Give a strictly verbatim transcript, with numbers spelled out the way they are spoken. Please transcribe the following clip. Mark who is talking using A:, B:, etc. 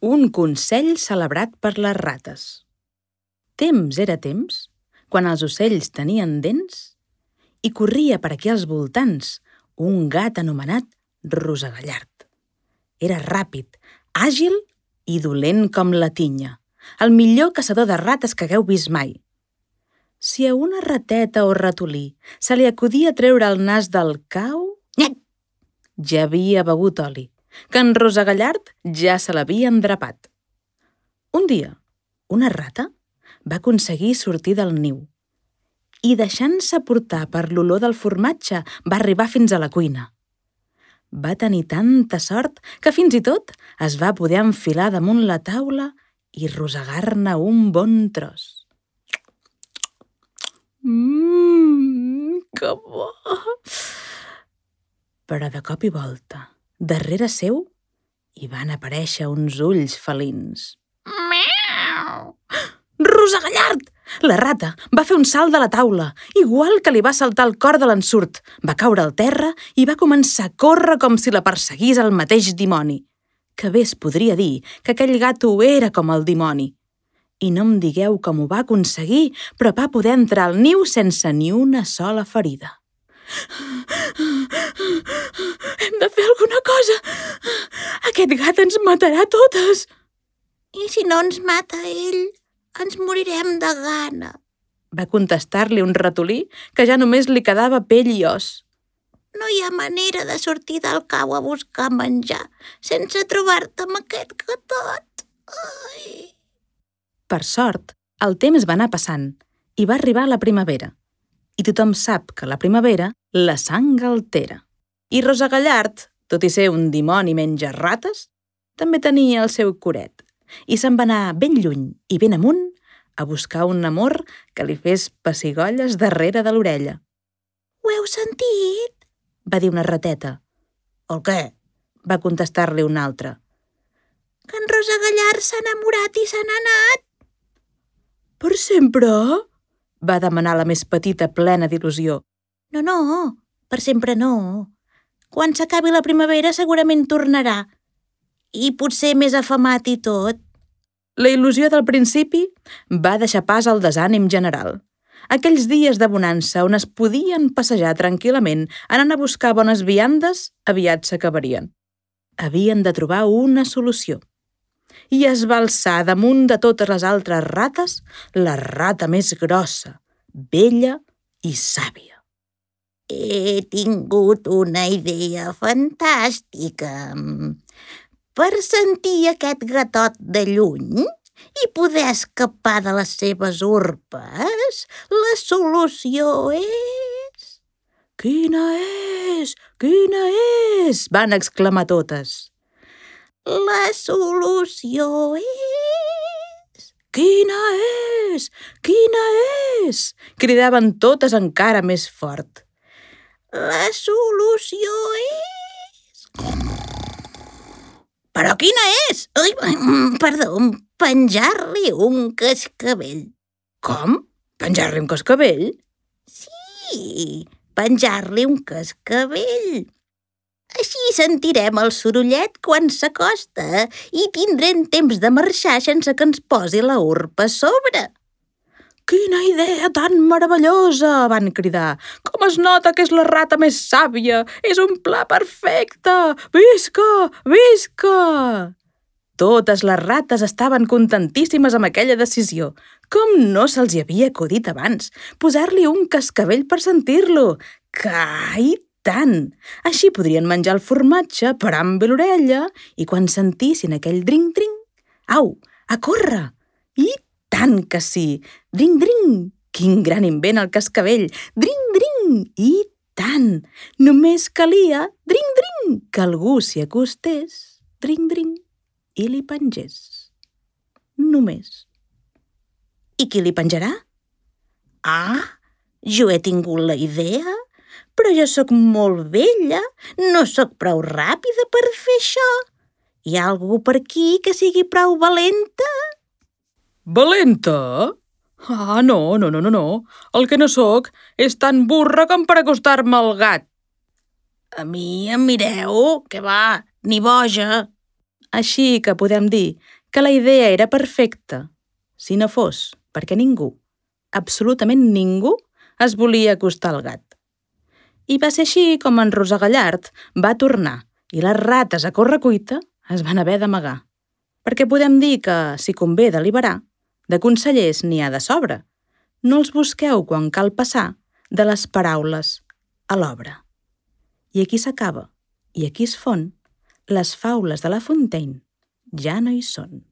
A: Un consell celebrat per les rates. Temps era temps, quan els ocells tenien dents, i corria per aquí als voltants un gat anomenat Rosagallart. Era ràpid, àgil i dolent com la tinya, el millor caçador de rates que hagueu vist mai. Si a una rateta o ratolí se li acudia treure el nas del cau, nyec! Ja havia begut oli, que en Rosagallart ja se l'havia endrapat. Un dia, una rata va aconseguir sortir del niu i, deixant-se portar per l'olor del formatge, va arribar fins a la cuina. Va tenir tanta sort que fins i tot es va poder enfilar damunt la taula i rosegar-ne un bon tros. Mmm, que bo! Però de cop i volta, darrere seu, hi van aparèixer uns ulls felins. Miau! Rosagallart! La rata va fer un salt de la taula, igual que li va saltar el cor de l'ensurt. Va caure al terra i va començar a córrer com si la perseguís el mateix dimoni. Que bé es podria dir que aquell gato era com el dimoni. I no em digueu com ho va aconseguir, però va poder entrar al niu sense ni una sola ferida. Hem de fer alguna cosa! Aquest gat ens matarà totes!
B: I si no ens mata ell, ens morirem de gana,
A: va contestar-li un ratolí que ja només li quedava pell i os.
B: No hi ha manera de sortir del cau a buscar menjar sense trobar-te amb aquest gatot. Ai.
A: Per sort, el temps va anar passant i va arribar la primavera. I tothom sap que la primavera la sang altera. I Rosagallart, tot i ser un dimoni menja rates, també tenia el seu coret. I se'n va anar ben lluny i ben amunt a buscar un amor que li fes pessigolles darrere de l'orella.
B: Ho heu sentit?
A: Va dir una rateta.
B: El què?
A: Va contestar-li una altra.
B: Que en Rosagallart s'ha enamorat i se n'ha anat.
A: Per sempre? Va demanar la més petita, plena d'il·lusió.
B: No, no, per sempre no. Quan s'acabi la primavera segurament tornarà. I potser més afamat i tot.
A: La il·lusió del principi va deixar pas al desànim general. Aquells dies de bonança on es podien passejar tranquil·lament anant a buscar bones viandes aviat s'acabarien. Havien de trobar una solució. I es va alçar damunt de totes les altres rates la rata més grossa, vella i sàvia.
B: He tingut una idea fantàstica. Per sentir aquest gatot de lluny i poder escapar de les seves urpes, la solució és...
A: Quina és? Quina és? Van exclamar totes.
B: La solució és...
A: Quina és? Quina és? Cridaven totes encara més fort.
B: La solució és... Però quina és? Ai, perdó, penjar-li un cascavell.
A: Com? Penjar-li un cascavell?
B: Sí, penjar-li un cascavell. Així sentirem el sorollet quan s'acosta i tindrem temps de marxar sense que ens posi la urpa a sobre.
A: Quina idea tan meravellosa! Van cridar. Com es nota que és la rata més sàvia! És un pla perfecte! Visca! Visca! Totes les rates estaven contentíssimes amb aquella decisió. Com no se'ls hi havia acudit abans? Posar-li un cascavell per sentir-lo! Cai! Tant! Així podrien menjar el formatge per amb l'orella i quan sentissin aquell dring-dring, au, a córrer! I tant que sí! Dring-dring! Quin gran invent el cascavell! Dring-dring! I tant! Només calia dring-dring que algú s'hi acostés, dring-dring, i li pengés. Només. I qui li penjarà?
B: Ah, jo he tingut la idea, però jo sóc molt vella, no sóc prou ràpida per fer això. Hi ha algú per aquí que sigui prou valenta?
A: Valenta? Ah, no, no, no, no, no. El que no sóc és tan burra com per acostar-me al gat.
B: A mi em mireu, que va, ni boja.
A: Així que podem dir que la idea era perfecta, si no fos perquè ningú, absolutament ningú, es volia acostar al gat. I va ser així com en Rosegallard va tornar i les rates a correcuita es van haver d'amagar. Perquè podem dir que, si convé deliberar, de consellers n'hi ha de sobre. No els busqueu quan cal passar de les paraules a l'obra. I aquí s'acaba, i aquí es fon, les faules de La Fontaine ja no hi són.